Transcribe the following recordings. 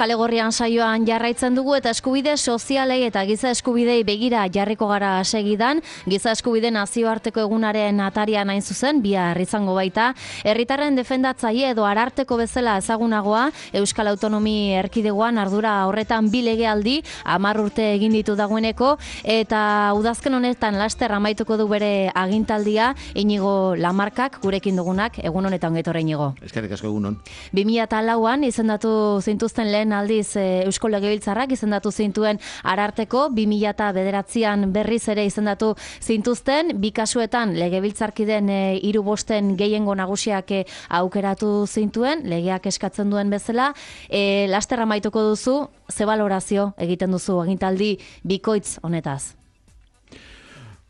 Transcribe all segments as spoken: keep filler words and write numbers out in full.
Kale Gorrian saioan jarraitzen dugu eta eskubide sozialei eta giza eskubidei begira jarriko gara segidan. Giza eskubide nazioarteko egunaren atarian hain zuzen, bihar izango baita. Herritarren defendatzaile edo ararteko bezala ezagunagoa, Euskal Autonomi Erkidegoan ardura horretan bi legealdi, hamar urte egin ditu dagoeneko, eta udazken honetan laster amaituko du bere agintaldia. Inigo Lamarkak, gurekin dugunak, egun honetan getorra Inigo. Eskerrik asko egunon. bi mila lauan izendatu zintuzten lehen aldiz e, Eusko Legebiltzarrak izendatu zintuen ararteko, bi mila bederatzian berriz ere izendatu zintuzten, bi kasuetan Legebiltzarkiden e, hiru bosten gehiengo nagusiak e, aukeratu zintuen, legeak eskatzen duen bezala. E, laster amaituko duzu, ze balorazio egiten duzu agintaldi bikoitz honetaz?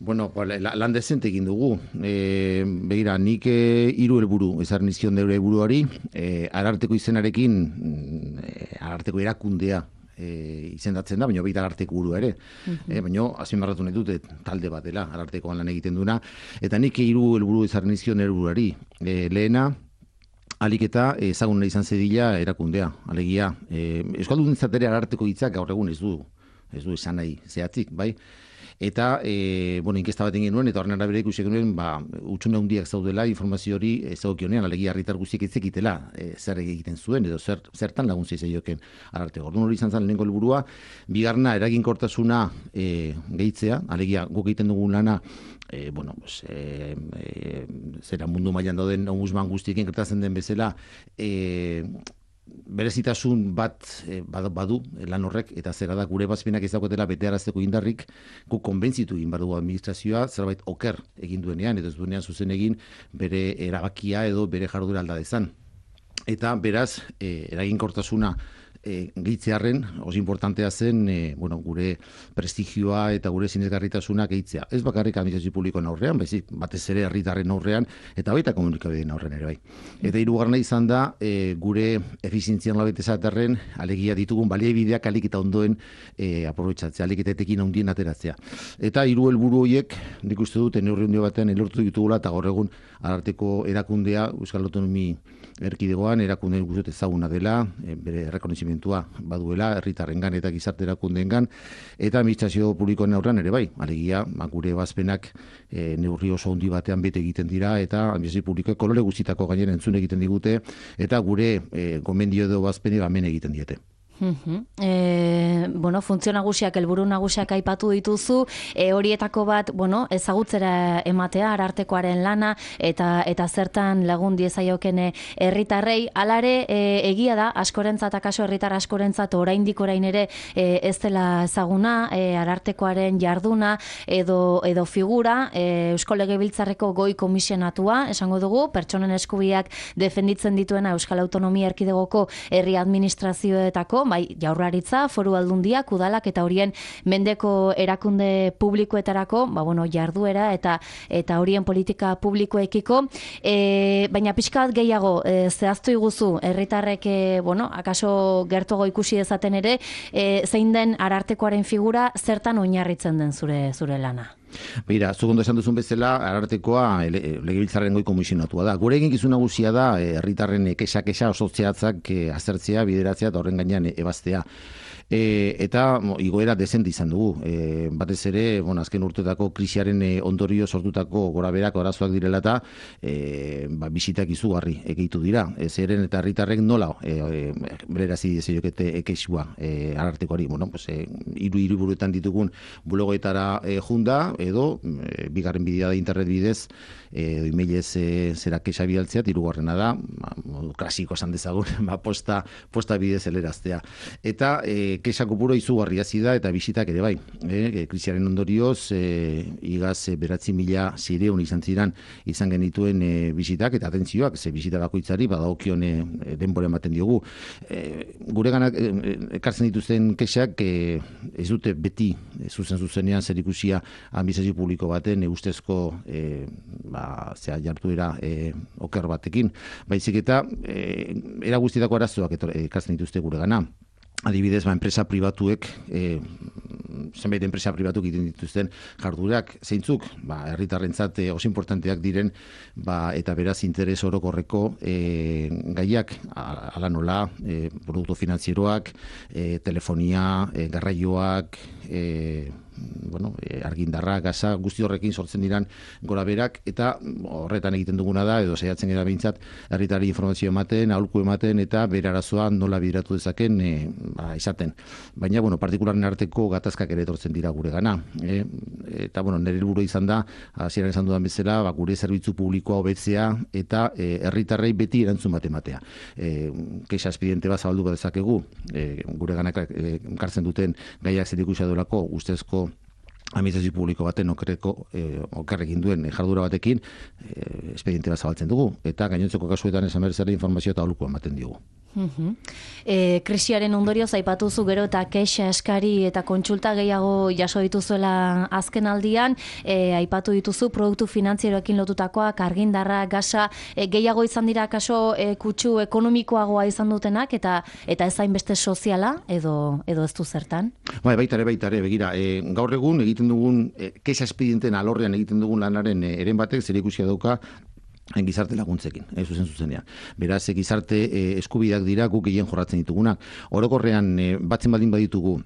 Bueno, lan dezente egin dugu. E, begira, nik e, hiru helburu ezarri nizkion deure buruari, e, ararteko izenarekin, e, ararteko erakundea e, izendatzen da, baina baita ararteko burua ere. Uh-huh. E, baina azpimarratu nahi dute talde bat dela, arartekoan lan egiten duena. Eta nik hiru helburu ezarri nizkion deure buruari. E, lehena, alik eta ezaguna izan zedila erakundea. Alegia, e, Euskaldunentzat ere ararteko hitzak gaur egun ez du, ez du esan nahi zehatzik, bai? Eta, e, bueno, inkesta bat egin nuen, eta horren arabera ikusi genuen, ba, utxune handiak zaudela, informazio hori ezagokionean, alegia herritar guztiek ez zekitela e, zer egiten zuen, edo zer, zertan laguntza izaioken ararteko. Orduan hori izan zen lehenengo helburua, bigarna eraginkortasuna e, gehitzea, alegia guk egiten dugun lana, e, bueno, pues, e, e, zera mundu mailan dauden ombudsman guztiekin gertatzen den bezala, e, berezitasun bat eh, badu lan horrek, eta zera da gure bazpenak ez daukatela betearazteko indarrik, gu konbentzitu egin behar dugu administrazioa zerbait oker egin duenean, edo ez duenean zuzen egin bere erabakia edo bere jardura alda dezan. Eta beraz, eh, eraginkortasuna E, gehitzearen, oso importantea zen e, bueno, gure prestigioa eta gure sinesgarritasuna gehitzea. Ez bakarrik administrazio publikoen aurrean, baizik batez ere herritarren aurrean eta baita komunikabideen aurrean ere bai. Eta hirugarrena izan da e, gure efizientzian labete esaterren alegia ditugun baliabideak alik eta ondoen e, aprobetxatzea, alik eta etekin handien ateratzea. Eta hiru helburu horiek, nik uste dut, neurri handi batean elortu ditugula eta gaur egun ararteko erakundea Euskal Autonomi Erkidegoan erakunde guztiet ezaguna dela, e, bere errekonozimentua baduela herritarrengan eta gizarte erakundeengan, eta administrazio publikoen aurrean ere bai, alegia gure bazpenak e, neurri oso handi batean bete egiten dira, eta administrazio publikoek kolore guztietako gainera entzun egiten digute, eta gure e, gomendio edo bazpenek amen egiten diete. Uh-huh. E, bueno, funtzio nagusiak, helburu nagusiak aipatu dituzu, e, horietako bat, bueno, ezagutzera ematea arartekoaren lana eta eta zertan lagun diezaioken herritarrei. Alare, e, egia da askorentzat, akaso herritar askorentzat oraindik orain ere e, ez dela ezaguna e, arartekoaren jarduna edo edo figura, e, Eusko Legebiltzarreko goi komisionatua, esango dugu, pertsonen eskubideak defenditzen dituena Euskal Autonomia Erkidegoko herri administrazioetako, bai, Jaurlaritza, Foru Aldundiak, udalak eta horien mendeko erakunde publikoetarako, ba bueno, jarduera eta eta horien politika publikoekiko, e, baina pixka bat gehiago e, zehaztu iguzu herritarrek e, bueno, akaso gertuago ikusi dezaten ere, e, zein den arartekoaren figura, zertan oinarritzen den zure zure lana? Beira, zugondo esan duzun bezala, arartekoa Legebiltzarren goi komisionatua da. Gure eginkizun nagusia da, herritarren kexa-kexa oso zehatzak azertzea, bideratzea eta horren gainean ebaztea. E, eta mo, igoera dezente izan dugu. E, batez ere, bueno, azken urteetako krisiaren e, ondorio sortutako goraberak arazoak direla eta e, ba, bisitak izugarri egitu dira. E, zeren eta herritarrek nola e, e, bererazi dezeiokete ekexua e, arartekoari. Bueno, pues, e, iru hiriburuetan ditugun bulegoetara e, junda, edo e, bigarren bidea da internet bidez, edo emailez e, zera kexa bidaltzea, hirugarrena da, ba, modu klasiko esan dezagun, ba, posta, posta bidez eleraztea. Eta e, kexa kopuro izugarri hasi da eta bisitak ere bai. E, krisiaren ondorioz, e, igaz e, beratzi mila zireun izan ziren izan genituen e, bisitak eta atentzioak, ze bisita bakoitzari badagokion e, denbora ematen diogu. E, gure ganak e, ekartzen dituzten kexak e, ez dute beti e, zuzen zuzenean zer ikusia administrazio publiko baten e, ustezko e, ba, zera jartuera e, oker batekin. Baizik eta e, era guztietako arazoak ekartzen dituzte gure gana. Adibidez, ba, enpresa pribatuek e, zenbait enpresa pribatuk egiten dituzten jarduerak zeintzuk, ba, herritarrentzat e, oso importanteak diren, ba, eta beraz interes orokorreko e, gaiak, ala nola, e, produktu finantzieroak, e, telefonia, e, garraioak, e, bueno, argindarra, gaza, guzti horrekin sortzen diran gora berak, eta horretan egiten duguna da, edo saiatzen gara behintzat, herritari informazio ematen, aholku ematen, eta bere arazoa nola bideratu dezaken e, ba, izaten. Baina, bueno, partikularen arteko gatazkak ere etortzen dira gure gana. E, eta, bueno, nire helburu izan da, hasieran esan dudan bezala, ba, gure zerbitzu publikoa hobetzea, eta e, herritarrei beti erantzun bat ematea. E, Kexa espediente bat zabaldu bat dezakegu, e, gure ganak e, kartzen duten gaiak zerikusia duelako, ustezko administrazio publiko baten okerreko eh, okerrekin duen jardura batekin eh, espediente bat zabaltzen dugu, eta gainontzeko kasuetan esan berzera informazio eta aholkua ematen diogu. Uhum. E, krisiaren ondorioz aipatuzu gero eta kexa eskari eta kontsulta gehiago jaso dituzuela azken aldian, e, aipatu dituzu produktu finantzieroekin lotutakoak, argindarra, gasa, e, gehiago izan dira kaso e, kutsu ekonomikoagoa izan dutenak, eta eta ez hainbeste soziala edo edo ez du zertan? Bai, baitare, baitare, begira, e, gaur egun egiten dugun, e, kexa espedienten alorrean egiten dugun lanaren e, eren batek zer ikusia dauka gizarte laguntzekin, ez zuzen zuzenean. Beraz, gizarte e, eskubideak dira guk gehien jorratzen ditugunak. Orokorrean, e, batzen baldin baditugu,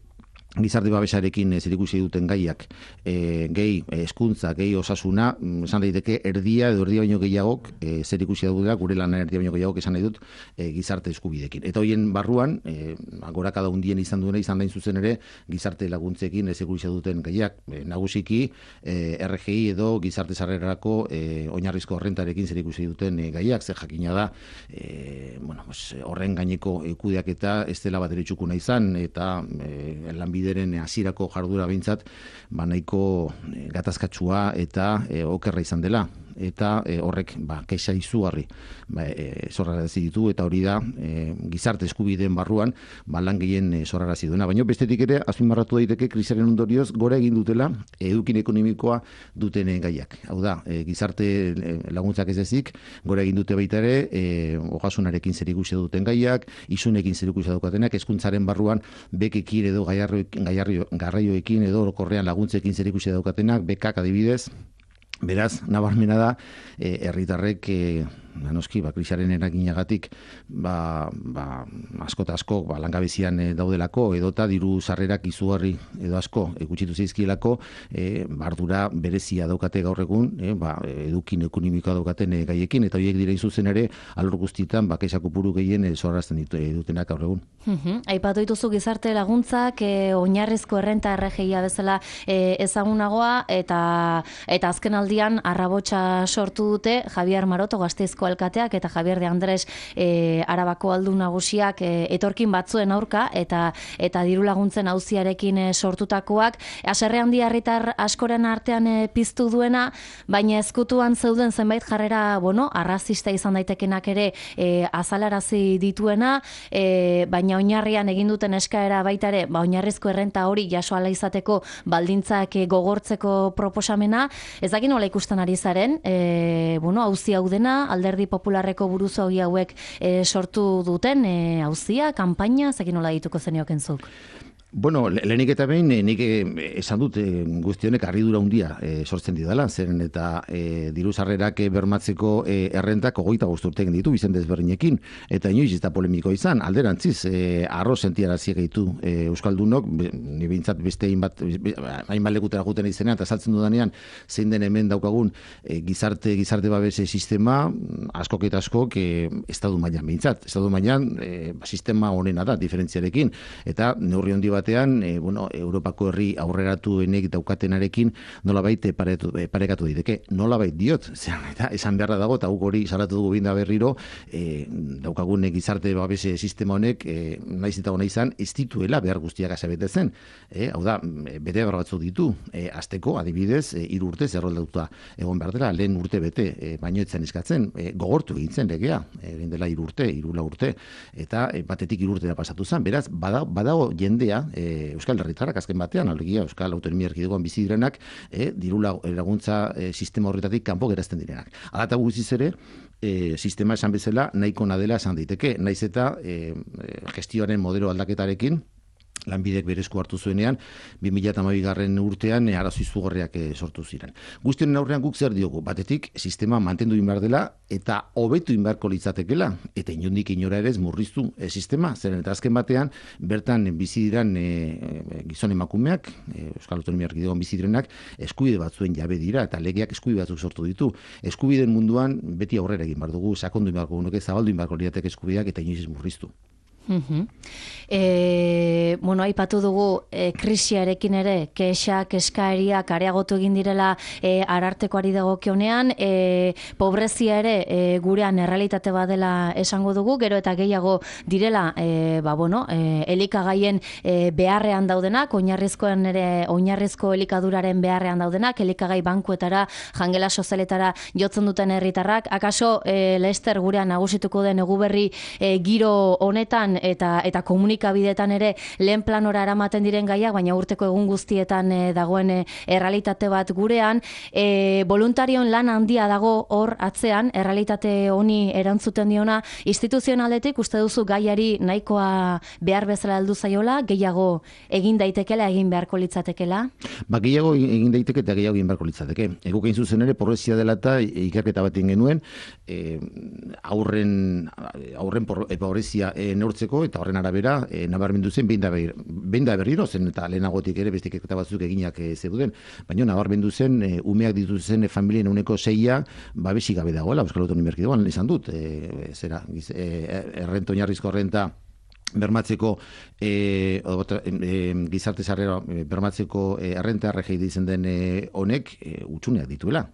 gizarte babesarekin zerikusi duten gaiak, e, gehi hezkuntza, gehi osasuna, esan daiteke erdia edo erdia baino gehiagok e, zerikusi dutela, gure lan erdia baino gehiagok esan nahi dut e, gizarte eskubidekin. Eta hoien barruan, e, gorakada hundien izan duena izan dain zuzen ere, gizarte laguntzekin zerikusi duten gaiak, e, nagusiki e, R G I edo gizarte sarrerarako e, oinarrizko horrentarekin zerikusi duten e, gaiak, ze jakina da, e, bueno, pues, horren gaineko e, kudeaketa ez dela bat ere txukuna izan, eta e, lanbide bideren hasierako jardura behintzat, ba nahiko e, gatazkatsua eta e, okerra izan dela. Eta e, horrek ba, kexa izugarri ba, e, zorrarazi ditu, eta hori da e, gizarte eskubideen barruan ba, lan gehien e, zorrarazi duena. Baina bestetik ere, azpimarratu daiteke krisiaren ondorioz gora egin dutela edukin ekonomikoa duten e, gaiak. Hau da, e, gizarte e, laguntzak ez ezik, gora egin dute baita ere, e, ogasunarekin zerikusia duten gaiak, isunekin zerikusia daukatenak, hezkuntzaren barruan bekekin edo garraioekin edo orokorrean laguntzekin zerikusia daukatenak, bekak adibidez. Beraz, nabarmena da, herritarrek e, ba, noski, ba, krisaren eraginagatik ba, ba, asko eta asko ba, langabezian e, daudelako, edota diru sarrerak izugarri edo asko gutxitu zeizkielako, e, bardura berezia daukate gaur egun, e, ba, edukin ekonomikoa daukaten e, gaiekin, eta horiek dira zuzen ere, alor guztietan, ba, kexa kopuru gehien e, zorrazten ditu, e, dutenak gaur egun. Uhum. Aipatu dituzu gizarte laguntzak, e, oinarrizko errenta R G I-a bezala e, ezagunagoa, eta, eta azken aldian arrabotsa sortu dute Javier Maroto Gasteizko alkateak eta Javier de Andres e, Arabako aldun nagusiak e, etorkin batzuen aurka eta eta diru laguntzen auziarekin e, sortutakoak, haserre handi herritar askoren artean e, piztu duena, baina ezkutuan zeuden zenbait jarrera, bueno, arrazista izan daitekenak ere e, azalarazi dituena, e, baina oinarrian egin duten eskaera baita ere, ba oinarrizko errenta hori jaso ala izateko baldintzak e, gogortzeko proposamena, ez dakit nola ikusten ari zaren, e, bueno, auzi hau dena, Alderdi Popularreko buruzo hauek e, sortu duten e, auzia, kanpaina, ez dakit nola dituko zenioken zuk? Bueno, lehenik eta behin, nik esan dut guzti honek harridura handia e, sortzen didala, zeren eta e, diru sarrerak bermatzeko e, errentak hogeita bost urte egin ditu bizen desberdinekin, eta inoiz ez da polemiko izan, alderantziz, e, arro sentiarazi gaitu e, Euskaldunok, ni behintzat beste hainbat hainbat lekutera guten izenean, eta saltzen dudanean, zein den hemen daukagun e, gizarte gizarte babese sistema, askok eta askok e, estadu mailan behintzat, estadu mailan e, sistema honena da, diferentziarekin, eta neurri handi bat batean, e, bueno, Europako herri aurreratuenek daukatenarekin nolabait paretu, parekatu daiteke. Nolabait diot, zean, eta esan beharra dago, eta guk hori salatu dugu binda berriro, e, daukagun gizarte babese sistema honek, e, naiz eta hona izan, ez dituela behar guztiak asabetetzen. E, hau da, bete behar batzuk ditu, e, azteko, adibidez, e, hiru urte zerroldatuta egon behar dela, lehen urte bete, e, baino etzen eskatzen, e, gogortu egintzen legea, egin dela hiru urte, hirula urte, eta e, batetik hiru urtera pasatu zen, beraz, badago, badago jendea, E, Euskal Herritarrak azken batean, alegia Euskal Autonomia Erkidegoan bizi direnak, e, diru laguntza e, sistema horretatik kanpo gerazten direnak. Hala eta guztiz ere, e, sistema esan bezala nahiko nadela esan daiteke, naiz eta e, gestioaren modelo aldaketarekin lanbidek berezko hartu zuenean, bi mila hamabigarren urtean e, arazo izugarriak e, sortu ziren. Guztionen aurrean guk zer diogu, batetik sistema mantendu inbar dela eta hobetu inbarko litzatekela, eta inondik inora ere ez murriztu e, sistema, zeren eta azken batean, bertan bizi diran e, e, gizon emakumeak, e, Euskal Autonomia Erkidegoan bizi direnak, eskubide batzuen jabe dira, eta legeak eskubide batzuk sortu ditu. Eskubideen munduan beti aurrera egin bar dugu, sakondu inbarko gunuke, zabaldu inbarko lirateke eskubideak eta inoiz ez murriztu. Uh-huh. E, bueno, aipatu dugu e, krisiarekin ere kexak, eskaeriak areagotu egin direla e, arartekoari dagokionean, e, pobrezia ere e, gurean errealitate badela esango dugu, gero eta gehiago direla e, ba, bueno, e, elikagaien e, beharrean daudenak, oinarrizkoen ere oinarrizko elikaduraren beharrean daudenak, elikagai bankuetara, jangela sozialetara jotzen duten herritarrak, akaso e, Lester gurean nagusituko den eguberri e, giro honetan eta eta komunikabideetan ere lehen planora eramaten diren gaiak, baina urteko egun guztietan e, dagoen e, errealitate bat gurean, e, voluntarion lan handia dago hor atzean, errealitate honi erantzuten diona, instituzionaletik uste duzu gaiari nahikoa behar bezala heldu zaiola, gehiago egin daitekela, egin beharko litzatekela? Ba, gehiago egin daiteke eta gehiago egin beharko litzateke. Eguk egin zuzen ere, pobrezia dela eta ikerketa bat egin genuen, e, aurren, aurren por, e, pobrezia e, neurtzeko eta horren arabera e, nabarmendu zen behin da, ber, behin da berriro zen eta lehenagotik ere beste ikerketa batzuk eginak e, zeuden, baina nabarmendu zen e, umeak dituzen e, familien uneko seia babesi gabe dagoela Euskal Autonomia Erkidegoan izan dut, e, zera e, errenta oinarrizko errenta bermatzeko e, e, gizarte sarrera e, bermatzeko e, errenta R G I ditzen den e, honek e, utxuneak dituela.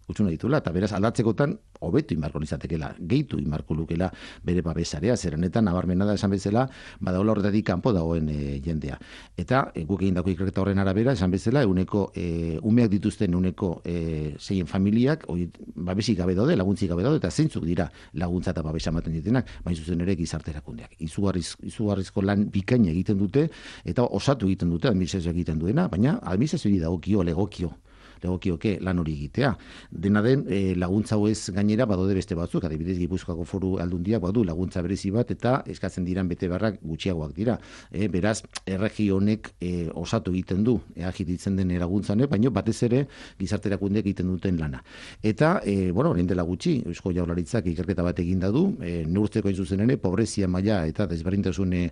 Utxuna dituela, eta beraz aldatzekotan hobetu inbarko lizatekela, gehitu inbarko lukela bere babesarea, zerenetan nabarmena da esan bezala, badaola horretatik kanpo dagoen e, jendea. Eta e, guk egin dako ikerketa horren arabera, esan bezala, euneko, e, umeak dituzten euneko e, zein familiak, oi, babesik gabe daude, laguntzik gabe daude, eta zeintzuk dira laguntza eta babesa ematen ditenak, baina zuzen ere gizarte erakundeak. Izugarriz, izugarrizko lan bikaina egiten dute, eta osatu egiten dute, administrazioak egiten duena, baina administrazioari dagokio, legokio, legokioke lan hori egitea. Dena den e, laguntza hauez gainera badaude beste batzuk, adibidez Gipuzkoako Foru Aldundiak badu laguntza berezi bat eta eskatzen diran bete barrak gutxiagoak dira. E, beraz, erregi honek e, osatu egiten du, eagit ditzen den eraguntzane, baina batez ere gizarte erakundeak egiten duten lana. Eta, e, bueno, orain dela gutxi, Eusko Jaurlaritzak ikerketa bat egin da du, e, neurtzeko hain zuzen ere, pobrezia maila eta desberdintasun e,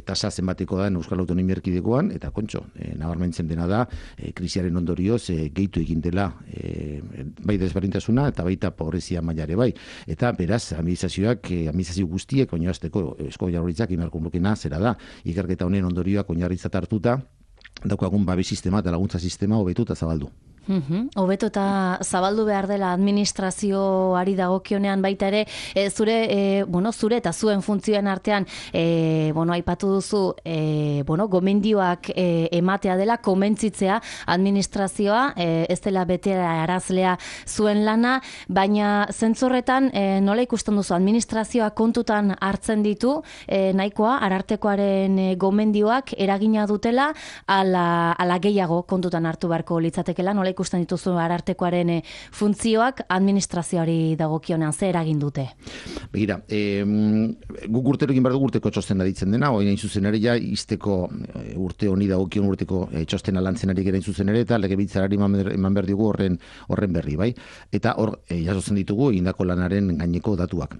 tasa zenbateko da Euskal Autonomia Erkidegoan, eta kontxo, e, nabarmentzen dena da, e, krisiaren ondorioz, e, gehitu egin dela e, bai desberdintasuna eta baita pobrezia mailare bai. Eta beraz, administrazioak, e, administrazio guztiek oinarrizteko Eusko Jaurlaritzak imarko lukena zera da. Ikerketa honen ondorioak oinarritzat hartuta, daukagun babes sistema eta laguntza sistema hobetu eta zabaldu. Uhum. Hobeto eta zabaldu behar dela administrazioari dagokionean baita ere, e, zure, e, bueno, zure eta zuen funtzioen artean, e, bueno, aipatu duzu, e, bueno, gomendioak e, ematea dela, komentzitzea administrazioa, e, ez dela betera arazlea zuen lana, baina zentzorretan e, nola ikusten duzu, administrazioa kontutan hartzen ditu, e, nahikoa, arartekoaren e, gomendioak eragina dutela, ala, ala gehiago kontutan hartu beharko litzatekela, nola ikusten dituzu arartekoaren e, funtzioak administrazioari dagokionean ze eragin dute? Begira, e, guk urtero egin behar dugu urteko txostena ditzen dena, oin hain zuzen ere ja izteko e, urte honi dagokion urteko e, txostena lantzen ari gera hain zuzen ere, eta legebiltzarari eman behar dugu horren, horren berri, bai? Eta hor, e, jasotzen ditugu egindako lanaren gaineko datuak.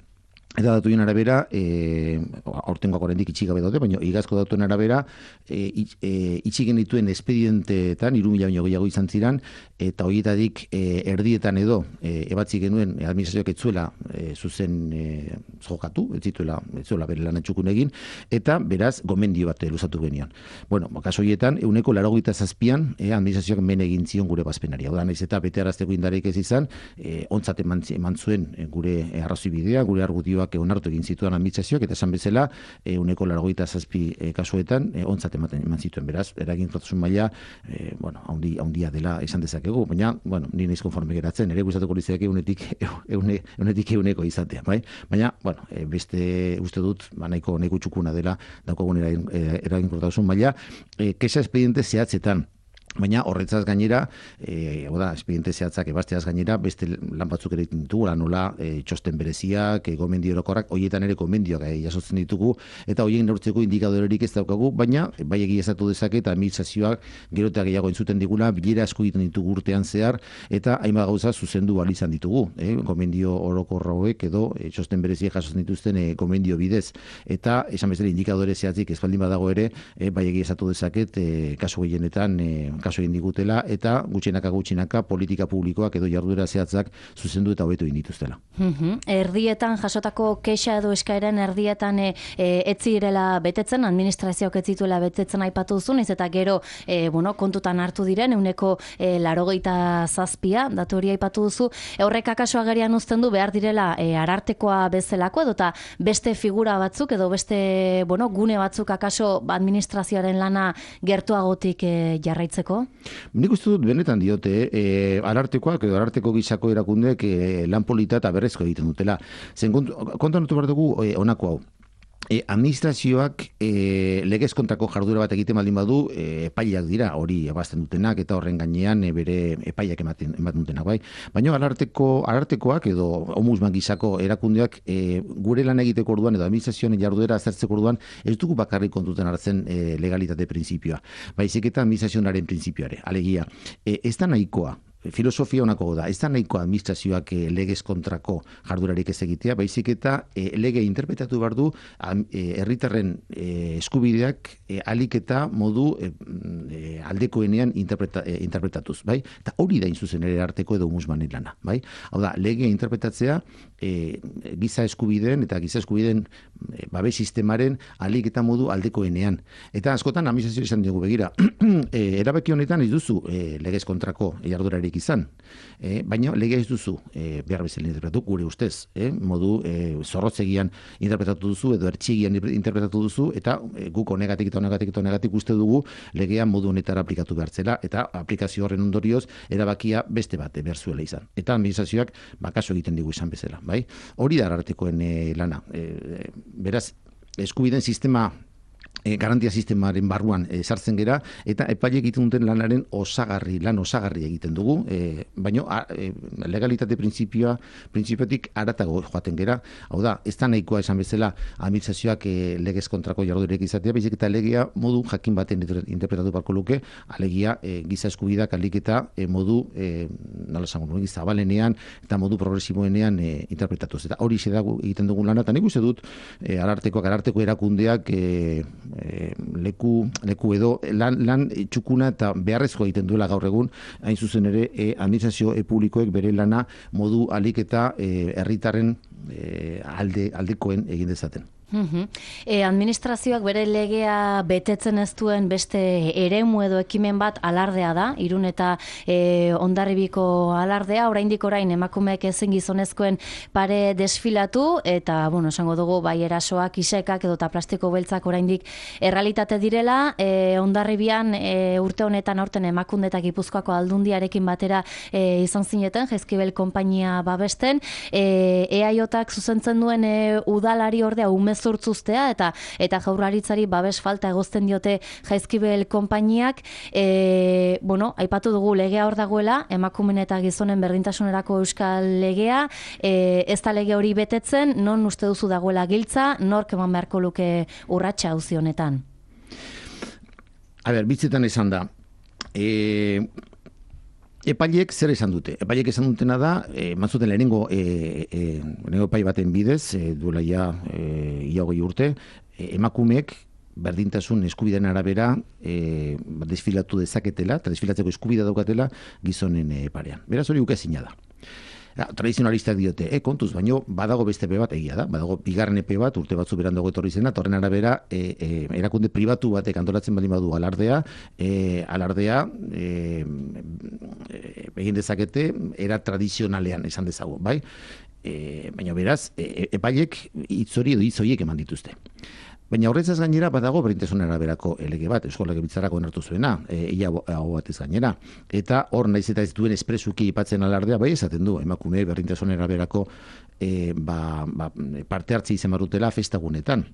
Eta datuen arabera, e, aurtengoak oraindik itxi gabe daude, baina igazko datuen arabera, e, itx, e, itxi genituen espedienteetan, hiru mila baino gehiago izan ziran, eta horietatik e, erdietan edo e, ebatzi genuen e, administrazioak etzuela e, zuzen e, jokatu, ez zituela, ez zuela bere lan etxukun egin, eta beraz gomendio bat luzatu genion. Bueno, kaso horietan, euneko laurogeita zazpian e, administrazioak men egin zion gure bazpenari. Hau da, naiz eta bete arazteko indarek ez izan, e, ontzat eman, eman zuen e, gure arrazoi bidea, gure argudioak onartu egin zituen administrazioak, eta esan bezala, e, uneko largoita zazpi e, kasuetan, e, ontzat ematen eman zituen. Beraz, eraginkortasun maila, e, bueno, haundi, haundia dela esan dezakegu, baina, bueno, ni naiz konforme geratzen, ere gustatuko litzake unetik, eune, unetik euneko izatea, bai? Baina, bueno, e, beste uste dut, ba, nahiko, nahiko txukuna dela, daukagun eragin, eraginkortasun maila, e, kexa espediente zehatzetan, Baina horretzaz gainera, eh, oda, espediente zehatzak ebasteaz gainera, beste lan batzuk ere ditugu, nola e, txosten bereziak, e, gomendio orokorrak, horietan ere gomendioak e, jasotzen ditugu, eta horien neurtzeko indikadorerik ez daukagu, baina bai egiaztatu dezake eta administrazioak gero eta gehiago entzuten digula, bilera asko egiten ditugu urtean zehar, eta hainbat gauza zuzendu ahal izan ditugu, e, gomendio orokor hauek edo e, txosten bereziak jasotzen dituzten e, gomendio bidez, eta esan bezala indikadore zehatzik ez baldin badago ere, e, bai egiaztatu dezaket, e, kasu gehienetan, e, kaso egin digutela, eta gutxinaka gutxinaka politika publikoak edo jarduera zehatzak zuzendu eta hobetu egin dituztela. Mm-hmm. Erdietan jasotako kexa edo eskaeren erdietan e, e, etzirela betetzen, administrazioak ez zituela betetzen aipatu duzu, naiz eta gero e, bueno, kontutan hartu diren ehuneko e, laurogeita zazpia, datu hori aipatu duzu, horrek akaso agerian uzten du behar direla e, arartekoa bezalako edo eta beste figura batzuk edo beste bueno, gune batzuk akaso administrazioaren lana gertuagotik e, jarraitzeko? Nik uste dut benetan diote, e, arartekoak edo ararteko gisako erakundeek e, lan polita eta berrezko egiten dutela. Zen kontuan dut behar dugu e, honako hau. E, administrazioak e, legez kontrako jardura bat egiten baldin badu e, epaileak dira, hori ebazten dutenak eta horren gainean e, bere epaileak ematen, ematen dutenak, bai. Baina ararteko, arartekoak edo ombudsman gisako erakundeak e, gure lan egiteko orduan edo administrazioen jardura azertzeko orduan ez dugu bakarrik kontuten hartzen e, legalitate printzipioa. Baizik eta administrazionaren printzipioare. Alegia, e, ez da nahikoa. Filosofia honako da, ez da nahiko administrazioak e, legez kontrako jardurarik ez egitea, baizik eta e, lege interpretatu behar du herritarren e, eskubideak e, alik eta modu e, e, aldekoenean interpreta, e, interpretatuz, bai? Eta hori da inzuzen ere arteko edo musmanen lana, bai? Hau da, lege interpretatzea e, giza eskubideen eta giza eskubideen e, babes sistemaren alik eta modu aldekoenean. Eta askotan administrazio izan dugu begira, e, erabaki honetan ez duzu e, legez kontrako jardurarik izan. E, baina lege ez duzu e, behar bezala interpretatu, gure ustez, e, modu e, zorrotzegian interpretatu duzu edo ertxigian interpretatu duzu eta e, guk honegatik eta honegatik eta honegatik uste dugu legea modu honetara aplikatu behartzela eta aplikazio horren ondorioz erabakia beste bat behar zuela izan. Eta administrazioak bakaso egiten digu izan bezala, bai? Hori da arartekoen e, lana. E, beraz, eskubideen sistema E, garantia sistemaren barruan e, sartzen gera, eta epaile egiten duten lanaren osagarri, lan osagarri egiten dugu, e, baina e, legalitate printzipioa, printzipiotik aratago joaten gera, hau da, ez da nahikoa esan bezala administrazioak e, legez kontrako jardurek izatea, baizik eta legea modu jakin baten interpretatu barko luke, alegia e, giza eskubidak alik eta e, modu, e, nola esango nuen, zabalenean eta modu progresiboenean e, interpretatuz. Eta hori dago egiten dugun lana, eta nik uste dut, e, arartekoak, ararteko erakundeak e, E, leku, leku edo lan, lan txukuna eta beharrezko egiten duela gaur egun, hain zuzen ere e, administrazio e publikoek bere lana modu alik eta herritarren e, alde, aldekoen egin dezaten. Mm-hmm. E, administrazioak bere legea betetzen ez duen beste eremu edo ekimen bat alardea da, Irun eta e, Hondarribiko alardea, oraindik orain emakumeek ezin gizonezkoen pare desfilatu, eta, bueno, esango dugu, bai erasoak, isekak edo eta plastiko beltzak oraindik errealitate direla, e, Hondarribian e, urte honetan aurten Emakunde eta Gipuzkoako Aldundiarekin batera e, izan zineten, Jaizkibel konpainia babesten, e, eaiotak zuzentzen duen e, udalari ordea umez zurtzuztea eta eta jaurlaritzari babes falta egozten diote Jaizkibel konpainiak. E, bueno, aipatu dugu legea hor dagoela, emakumeen eta gizonen berdintasunerako euskal legea, e, ez da lege hori betetzen, non uste duzu dagoela giltza, nork eman beharko luke urratsa auzi honetan? A ber, bitzetan esan da, e, epaileek zer esan dute? Epaileek esan dutena da, e, mantzuten lehenengo, e, e, lehenengo epai baten bidez, e, duela ja e, ia hogei urte, e, emakumeek berdintasun eskubideen arabera e, desfilatu dezaketela, eta desfilatzeko eskubidea daukatela gizonen e, parean. Beraz hori ukezina da. Ja, tradizionalistak diote, e, kontuz, baino badago beste epe bat egia da, badago bigarren epe bat urte batzu berandago etorri zena, eta horren arabera e, e, erakunde pribatu batek antolatzen baldin badu alardea, e, alardea e, e, egin dezakete era tradizionalean esan dezagun, bai? E, baina beraz, e, epaiek hitz hori edo hitz horiek eman dituzte. Baina horretzaz gainera badago berdintasun araberako lege bat, Eusko Legebiltzarrak onartu zuena, e, ia hau batez gainera. Eta hor naiz eta ez duen espresuki ipatzen alardea, bai esaten du, emakume berdintasun araberako e, ba, ba, parte hartzi izan barutela festagunetan.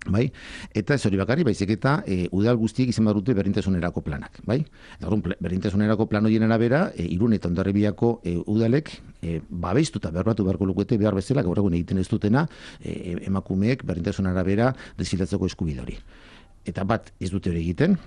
Bai? Eta ez hori bakarri, baizik eta e, udal guztiek izan badute berdintasunerako planak, bai? Eta orduan berdintasunerako plan horien arabera, e, Irun eta Hondarribiako e, udalek e, babeiztuta berbatu beharko lukete behar bezala gaur egun egiten ez dutena, e, emakumeek berdintasun arabera desfilatzeko eskubide hori. Eta bat ez dute hori egiten,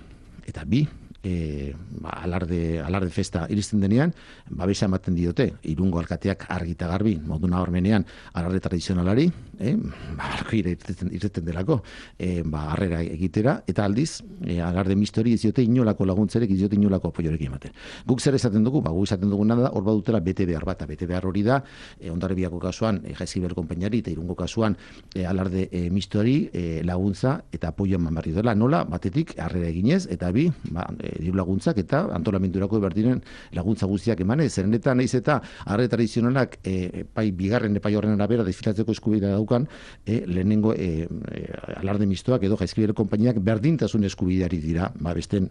eta bi, E, ba, alarde, alarde festa iristen denean, babesa ematen diote, Irungo alkateak argita garbi, modu nabarmenean, alarde tradizionalari, eh? ba, ireten, ireten delako, e, ba, harrera egitera, eta aldiz, e, alarde mistori ez diote inolako laguntzerek, ez diote inolako apoiorekin ematen. Guk zer esaten dugu, ba, guk esaten dugu nada, hor badutela bete behar bat, bete behar hori da, e, Hondarribiako kasuan, e, Jaizkibel konpainari, eta Irungo kasuan, e, alarde e, mistori, e, laguntza, eta apoio eman barri dela, nola, batetik, harrera eginez, eta bi, ba, e, diru laguntzak eta antolamendurako berdiren laguntza guztiak emanez. Zeren eta naiz eta arre tradizionalak e, pai bigarren epai horren arabera desfilatzeko eskubidea daukan, e, lehenengo e, e, alarde mistoak edo Jaizkibel konpainiak berdintasun eskubideari dira, ba besten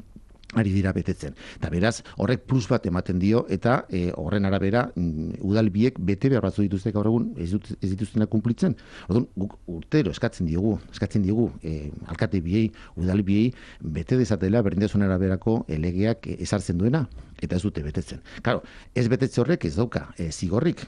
ari dira betetzen. Eta beraz, horrek plus bat ematen dio, eta e, horren arabera mm, udal biek bete behar batzu dituzte gaur egun ez, dut, ez dituztenak kumplitzen. Orduan, guk urtero eskatzen diogu, eskatzen diogu e, alkate biei, udal biei, bete dezatela berdintasun araberako legeak e, ezartzen duena, eta ez dute betetzen. Claro, ez betetze horrek ez dauka e, zigorrik,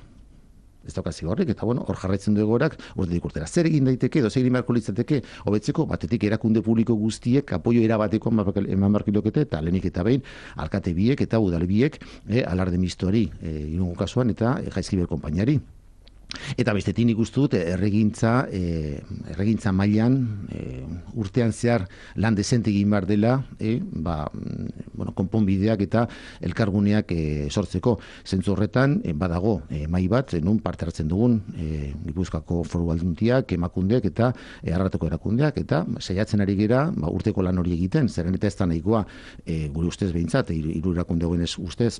ez dauka zigorrik, eta bueno, hor jarraitzen du egorak, urtetik urtera. Zer egin daiteke, edo zer egin beharko litzateke, hobetzeko, batetik erakunde publiko guztiek apoio erabateko eman beharko lukete, eta lehenik eta behin, alkate biek eta udal biek, eh, alarde mistoari, eh, Irungo kasuan, eta eh, Jaizkibel konpainari. Eta bestetik nik uste dut erregintza, e, erregintza mailan e, urtean zehar lan dezente egin behar dela, e, ba, bueno, konponbideak eta elkarguneak e, sortzeko. Zentzu horretan, e, badago e, mai bat, e, nun parte hartzen dugun, e, Gipuzkoako Foru Aldundiak, emakundeak eta e, ararteko erakundeak, eta saiatzen ari gera ba, urteko lan hori egiten, zeren eta ez da nahikoa, e, gure ustez behintzat, hiru erakunde hoenez ustez,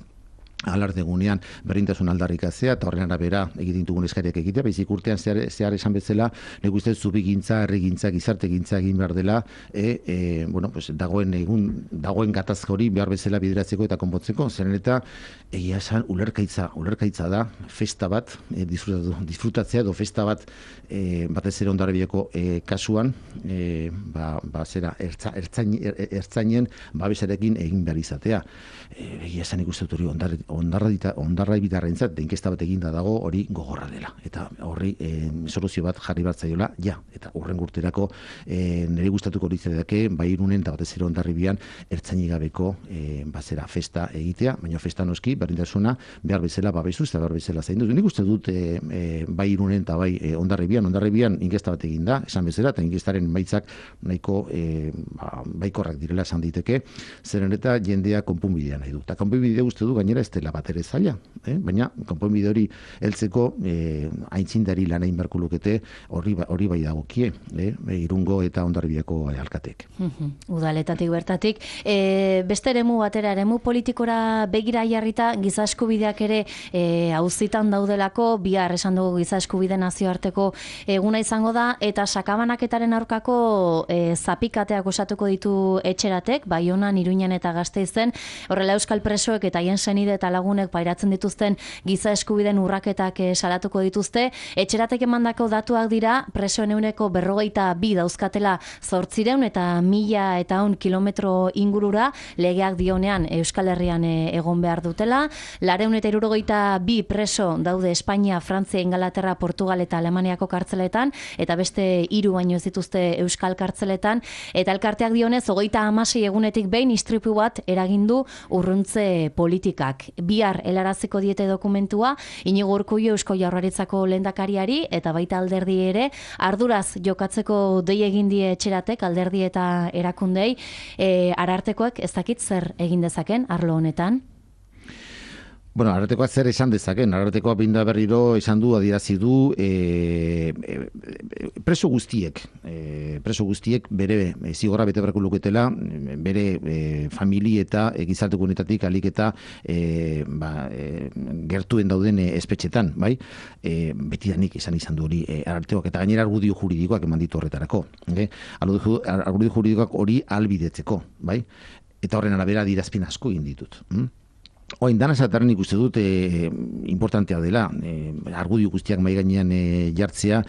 alardegunean berdintasun aldarrikatzea eta horren arabera egiten dugun eskariak egitea, baizik urtean zehar, zehar esan bezala, nik uste zubigintza, herrigintza, gizartegintza egin behar dela, e, e, bueno, pues, dagoen egun, dagoen gatazka hori behar bezala bideratzeko eta konpontzeko, zeren eta egia esan ulerkaitza, ulerkaitza da festa bat, e, disfrutatzea edo festa bat e, batez ere Hondarribiako e, kasuan, e, ba, ba zera, ertza, ertzain, er, ertzainen babesarekin egin behar izatea. E, egia esan ikuste dut hori ondar, ondarra ibitarrentzat, deinkesta bat eginda dago hori gogorra dela. Eta horri e, soluzio bat jarri bat zaiola, ja, eta horren gurterako e, nire gustatuko litzaidake, bai Irunen eta batez ere Hondarribian ertzainik gabeko e, bazera festa egitea, baina festa noski berdintasuna behar bezala babesuz eta behar bezala zaindu. Nik uste dut e, e, bai Irunen eta bai e, Hondarribian, Hondarribian inkesta bat eginda, esan bezala, eta inkestaren emaitzak nahiko e, ba, baikorrak direla esan diteke, zeren eta jendea konponbidea nahi du. Eta konponbidea uste du gainera ez dela bat ere zaila, eh? Baina konponbide hori heltzeko eh, aintzindari lan egin beharko lukete hori hori bai dagokie, eh? Irungo eta Hondarribiako alkatek. Udaletatik bertatik, e, beste eremu batera, eremu politikora begira jarrita giza eskubideak ere e, auzitan daudelako, bihar esan dugu giza eskubide nazioarteko eguna izango da, eta sakabanaketaren aurkako e, zapikateak osatuko ditu etxeratek, Baionan, Iruñan eta Gasteizen, horrela euskal presoek eta haien senide eta lagunek pairatzen dituzten giza eskubideen urraketak e, salatuko dituzte. Etxeratek emandako datuak dira, presoen euneko berrogeita bi dauzkatela zortzireun eta mila eta un kilometro ingurura, legeak dionean Euskal Herrian e, egon behar dutela. Lareun eta hirurogeita bi preso daude Espainia, Frantzia, Ingalaterra, Portugal eta Alemaniako kartzeletan, eta beste hiru baino ez dituzte Euskal kartzeletan, eta elkarteak dionez, hogeita hamasei egunetik behin istripu bat eragindu urruntze politikak. Bihar helaraziko diete dokumentua, Inigo Urkullu Eusko Jaurlaritzako lehendakariari eta baita alderdi ere, arduraz jokatzeko dei egin die etxeratek, alderdi eta erakundei, e, arartekoak ez dakit zer egin dezaken arlo honetan? Bueno, arartekoak zer esan dezaken, arartekoak binda berriro esan du, adierazi du, e, e, preso guztiek, e, preso guztiek bere e, zigorra bete beharko luketela, bere e, famili eta e, gizarte komunitatik alik eta e, ba, e, gertuen dauden e, espetxetan, bai? E, betidanik esan izan du hori e, arartekoak, eta gainera argudio juridikoak eman ditu horretarako. E? Argudio juridikoak hori albidetzeko, bai? Eta horren arabera adierazpen asko egin ditut. Hm? Oin, dana esatarren ikuste dut e, importantea dela, e, argudio guztiak mahai gainean e, jartzea,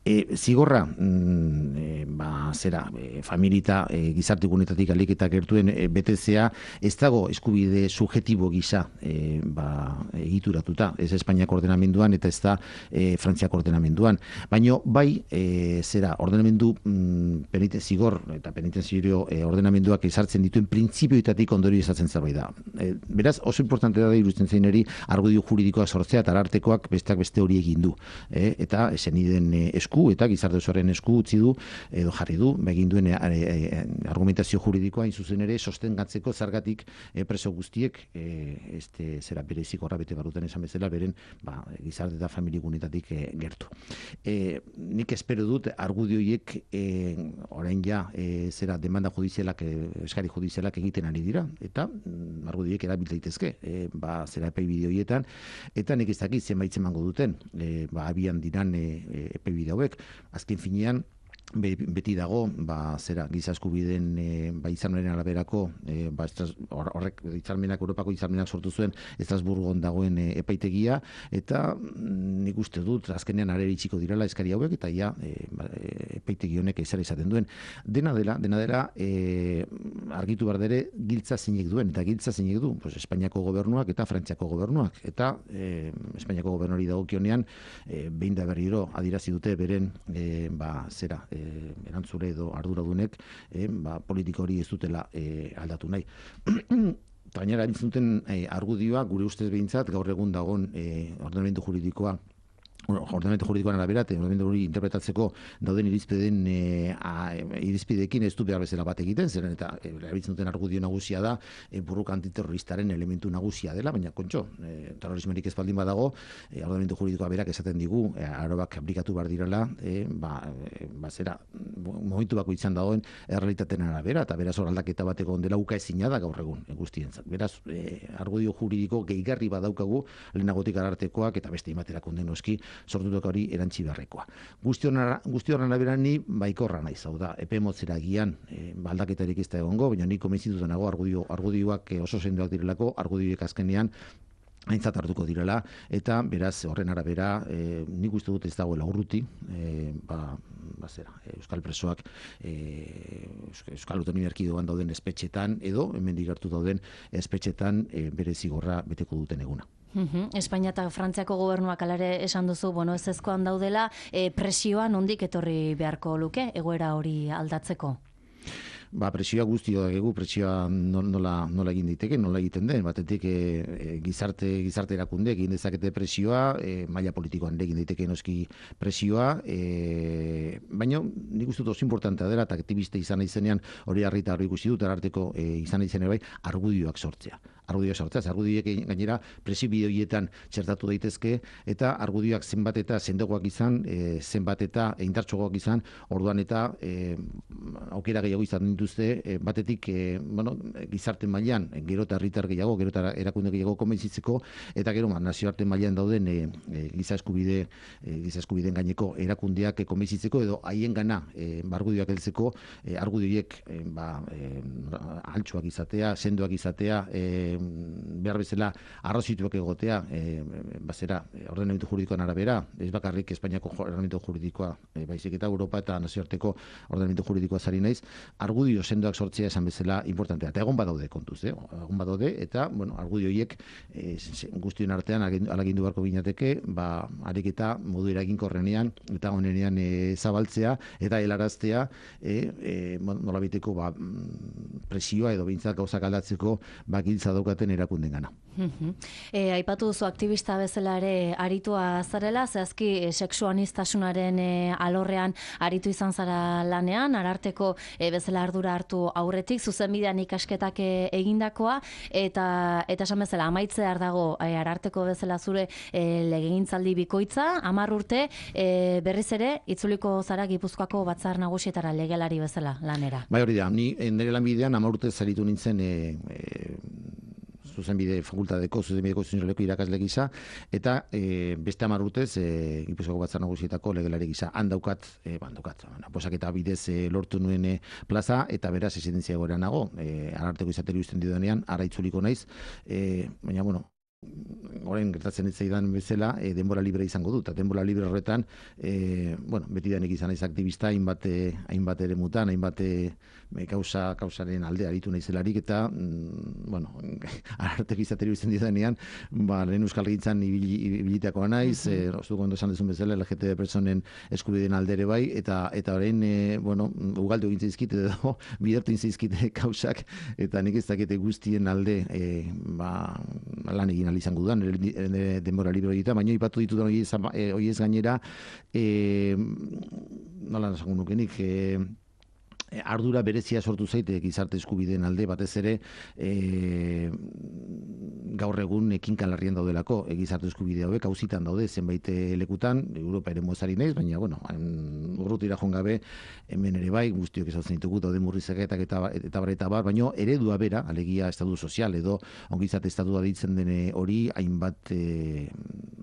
E, zigorra, mm, e, ba, zera, e, familita e, gizarte gunetatik alik eta gertuen e, betezea, ez dago eskubide subjetibo gisa e, ba, egituratuta, ez Espainiak ordenamenduan eta ez da e, Frantziak ordenamenduan. Baina bai, e, zera, ordenamendu mm, penite, zigor eta penitenziorio e, ordenamenduak ezartzen dituen printzipioetatik ondorio izatzen zerbait da. E, beraz, oso importante da iruditzen zeineri argudio juridikoak sortzea eta arartekoak besteak beste hori egin du. E, eta eseniden e, esku eta gizarte osoaren esku utzi du edo jarri du egin duen e, e, argumentazio juridikoa in zuzen ere sostengatzeko zergatik e, preso guztiek e, este zera berezik horra bete baruten esan bezala beren ba, gizarte eta familigunetatik e, gertu. E, nik espero dut argudio horiek e, orain ja e, zera demanda judizialak e, eskari judizialak egiten ari dira eta mm, argudio horiek erabil daitezke e, ba, zera epai bideo horietan eta nik ez dakit zenbait emango duten e, ba, abian diran e, epai bideo azken finean beti dago ba zera giza eskubideen e, ba hitzarmenaren araberako e, ba horrek hitzarmenak Europako hitzarmenak sortu zuen Estrasburgon dagoen e, epaitegia eta mm, nik uste dut azkenean arera itxiko direla eskari hauek eta ja e, ba, epaitegi honek ezer izaten duen dena dela dena dela e, argitu behar dere giltza zeinek duen eta giltza zeinek du pues Espainiako gobernuak eta Frantziako gobernuak eta e, Espainiako gobernuari dagokionean e, behin da berriro adierazi dute beren e, ba zera e, erantzule edo arduradunek eh, ba, politika hori ez dutela eh, aldatu nahi. Gainera, entzuten eh, argudioa, gure ustez behintzat, gaur egun dagoen eh, ordenamendu juridikoa ordenamendu juridikoan arabera, ordenamendu hori interpretatzeko dauden irizpideen e, irizpideekin ez du behar bezala bat egiten, zeren eta erabiltzen duten argudio nagusia da e, burruk antiterroristaren elementu nagusia dela, baina kontxo, e, terrorismorik ez baldin badago, e, ordenamendu juridikoa berak esaten digu, e, arauak aplikatu behar direla, e, ba, e, ba zera, momentu bako izan dagoen errealitateen arabera, eta beraz hor aldaketa bateko ondela uka ezina da gaur egun e, guztientzat. Beraz, e, argudio juridiko gehigarri badaukagu lehenagotik arartekoak eta beste imaterakunden noski sortutak hori erantzi beharrekoa. Guzti horren arabera ni baikorra naiz, hau da, epe motzera gian e, aldaketarik ez da egongo, baina ni konbentzituta nago argudio, argudioak oso sendoak direlako, argudioek azkenean aintzat hartuko direla, eta beraz horren arabera e, nik uste dut ez dagoela urruti, e, ba, ba zera, euskal presoak e, euskal autonomia erkidegoan dauden espetxetan, edo hemen digertu dauden espetxetan e, bere zigorra beteko duten eguna. Uhum. Espainia eta Frantziako gobernuak alare esan duzu, bueno, ez ezkoan daudela, e, presioa nondik etorri beharko luke, egoera hori aldatzeko? Ba, presioa guztio dugu, presioa nola, nola egin diteke, nola egiten den, batetik e, e, gizarte, gizarte erakunde egin dezakete presioa, e, maila politikoan egin daiteke noski presioa, e, baina nik uste dut oso importantea dela, eta aktiviste izan izenean hori harrita hori ikusi dut, ararteko e, izan izenean bai, argudioak sortzea. Argudioak sortzea, argudioak gainera presio bideoietan txertatu daitezke, eta argudioak zenbat eta sendogoak izan, e, zenbat eta indartsoagoak izan, orduan eta e, aukera gehiago izan dituzte, e, batetik e, bueno, gizarte mailan, gero eta herritar gehiago, gero eta erakunde gehiago konbentzitzeko, eta gero ma, nazioarte mailan dauden e, e, giza eskubide, e, giza eskubideen gaineko erakundeak e, konbentzitzeko, edo haien gana e, argudioak heltzeko, e, argudioiek e, ba, e, altxoak izatea, sendoak izatea, e, behar bezala arrozituak egotea, e, bazera, ordenamendu juridikoan arabera, ez bakarrik Espainiako ordenamendu juridikoa, e, baizik eta Europa eta nazioarteko ordenamendu juridikoa zari naiz, argudio sendoak sortzea esan bezala importantea. Eta egon badaude kontuz, eh? egon badaude, eta, bueno, argudio horiek e, guztion artean alagindu beharko ginateke, ba, ariketa modu eraginkorrenean, eta honenean e, zabaltzea, eta helaraztea, e, e, nolabiteko ba, presioa edo behintzat gauzak aldatzeko bakiltza daukaten erakunden gana. E, aipatu duzu aktivista bezala ere aritua zarela, zehazki e, sexuanistasunaren e, alorrean aritu izan zara lanean, ararteko e, bezala ardura hartu aurretik, zuzenbidean ikasketak e, egindakoa, eta eta esan bezala amaitzear dago e, ararteko bezala zure e, legegintzaldi bikoitza, hamar urte e, berriz ere itzuliko zara Gipuzkoako batzar nagusietara legelari bezala lanera. Bai, hori da, ni nire lanbidean hamar urte zaritu nintzen e, e, zuzenbide fakultateko, zuzenbideko zuzenbideko irakasle gisa, eta e, beste hamar urtez e, Gipuzkoako batzar nagusietako legelari gisa. Handaukat, e, bandaukat, posaketa bidez e, lortu nuen e, plaza, eta beraz esidentzia egoera nago, e, ararteko izateri uzten didonean, ara itzuliko naiz, e, baina, bueno, orain gertatzen ez zaidan bezala, e, denbora libre izango dut. Eta denbora libre horretan, e, bueno, beti denek izan naiz aktivista, hainbat, hainbat ere mutan, hainbat e, kausa, kausaren alde aritu naizelarik, eta, mm, bueno, ararteko izateri izan didanean, ba, lehen euskal gintzan ibilitakoa naiz, mm -hmm. e, ostuko ondo esan dezun bezala, L G T B personen eskubideen aldere bai, eta eta orain, e, bueno, ugaldu egin zaizkite edo, bidertu egin zaizkite kausak, eta nik ez dakite guztien alde, e, ba, lan egin ahal izango dudan, denbora libre egita, baina ipatu ditut hori ez gainera, e, nola nasango nukenik, e, ardura berezia sortu zaite gizarte eskubideen alde, batez ere e, gaur egun ekinkan larrian daudelako e, gizarte eskubide hauek auzitan daude zenbait lekutan, Europa ere mozari naiz, baina bueno, urrutira joan gabe hemen ere bai, guztiok ezatzen ditugu daude murrizaketak eta eta bar eta bar, baina eredua bera, alegia estatu sozial edo ongizate estatua deitzen den hori hainbat e,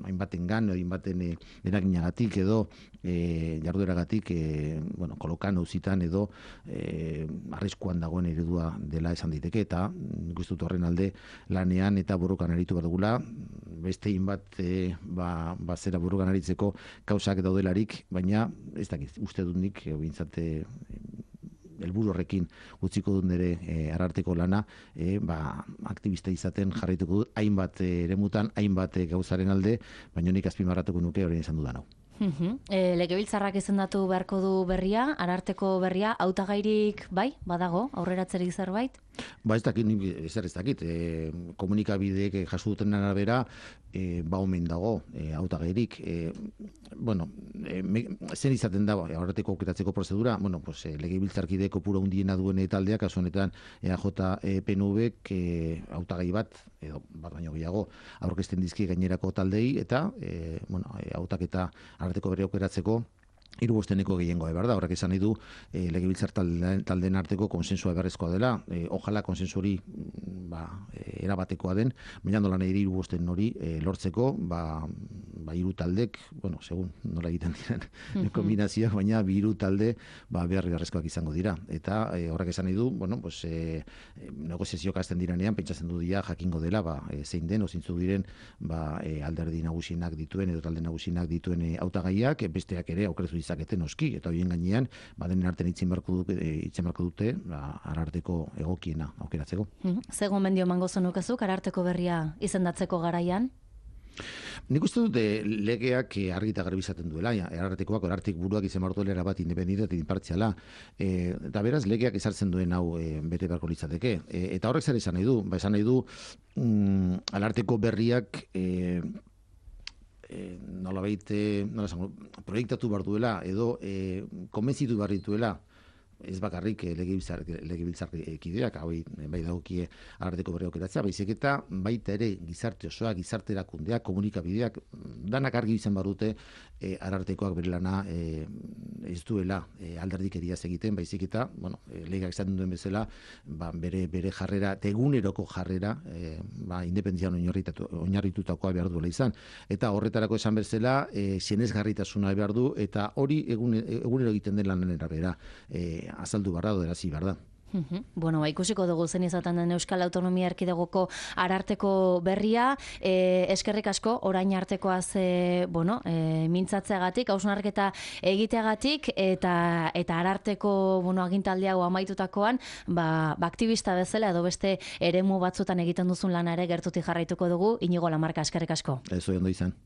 hainbatengan, hainbaten e, eraginagatik edo e, jardueragatik e, bueno, kolokan auzitan edo E, arriskuan dagoen eredua dela esan diteke, eta guztut horren alde lanean eta borrokan aritu behar dugula, beste bat e, ba, ba zera borrokan aritzeko kausak daudelarik, baina ez dakit, uste dut nik e, bintzate helburu horrekin utziko dut nire e, ararteko lana, e, ba, aktivista izaten jarraituko dut, hainbat eremutan, hainbat gauzaren alde, baina nik azpimarratuko nuke horrein izan dudan hau. Uh-huh. E, Legebiltzarrak izendatu beharko du berria, ararteko berria, hautagairik bai, badago, aurreratzerik zerbait? Ba ez dakit, ezer ez dakit, e, komunikabideek jaso duten arabera, e, ba omen dago, e, hautagairik. E, bueno, e, me, zen izaten da, aurreteko aukeratzeko prozedura, bueno, pues, e, legebiltzarkide kopuru handiena duen taldeak, kasu honetan E A J P N Vk e, hautagai bat, edo bat baino gehiago, aurkezten dizki gainerako taldei, eta, e, bueno, e, hautaketa arteko bere aukeratzeko hiru bosteneko gehiengoa, berda, horrek esan nahi du e, legebiltzar taldeen, taldeen arteko konsensua beharrezkoa dela, e, ojala konsensu hori ba, e, erabatekoa den, baina nola nahi hiru bosten hori e, lortzeko, ba, ba hiru taldek, bueno, segun nola egiten diren mm-hmm. kombinazioak, baina bi hiru talde ba, behar beharrezkoak izango dira, eta e, horrek esan nahi du, bueno, pues, e, negoziazioak azten diranean, pentsatzen du dira jakingo dela, ba, e, zein den, ozintzu diren, ba, e, alderdi nagusienak dituen, edo talde nagusienak dituen e, hautagaiak, e, besteak ere aukrezu izaketen oski, eta horien gainean, badenen artean itzen barko dute, itzen barko dute ba, ararteko egokiena aukeratzeko. Ze gomendio emango zenukezuk ararteko berria izendatzeko garaian? Nik uste dute legeak argi eta garbi izaten duela, arartekoak arartek buruak izan barko dela bat independente eta inpartziala. E, eta beraz, legeak ezartzen duen hau e, bete beharko litzateke. E, eta horrek zer esan nahi du? Ba, esan nahi du, mm, ararteko berriak e, E, nola baite, nola zango, proiektatu behar duela, edo e, konbentzitu behar dituela, ez bakarrik legebiltzar legebiltzarkideak hau bai dagokie ararteko berri aukeratzea, baizik eta baita ere gizarte osoa, gizarte erakundeak, komunikabideak danak argi izan badute e, arartekoak bere lana e, ez duela e, alderdikeriaz egiten, baizik eta, bueno, e, legeak esaten duen bezala, ba, bere bere jarrera, eguneroko jarrera, e, ba, independentzian oinarritutakoa behar duela izan. Eta horretarako esan bezala, e, sinesgarritasuna behar du, eta hori egun, egunero egiten den lanera bera. E, azaldu barra dela zi, barda. Uh-huh. Bueno, ba, ikusiko dugu zen izaten den Euskal Autonomia Erkidegoko ararteko berria, e, eskerrik asko, orain artekoaz e, bueno, e, mintzatzeagatik, hausnarketa egiteagatik, eta eta ararteko bueno, agintaldi hau amaitutakoan, ba, ba, aktivista bezala edo beste eremu batzutan egiten duzun lana ere gertutik jarraituko dugu. Inigo Lamarka, eskerrik asko. Ez ondo izan.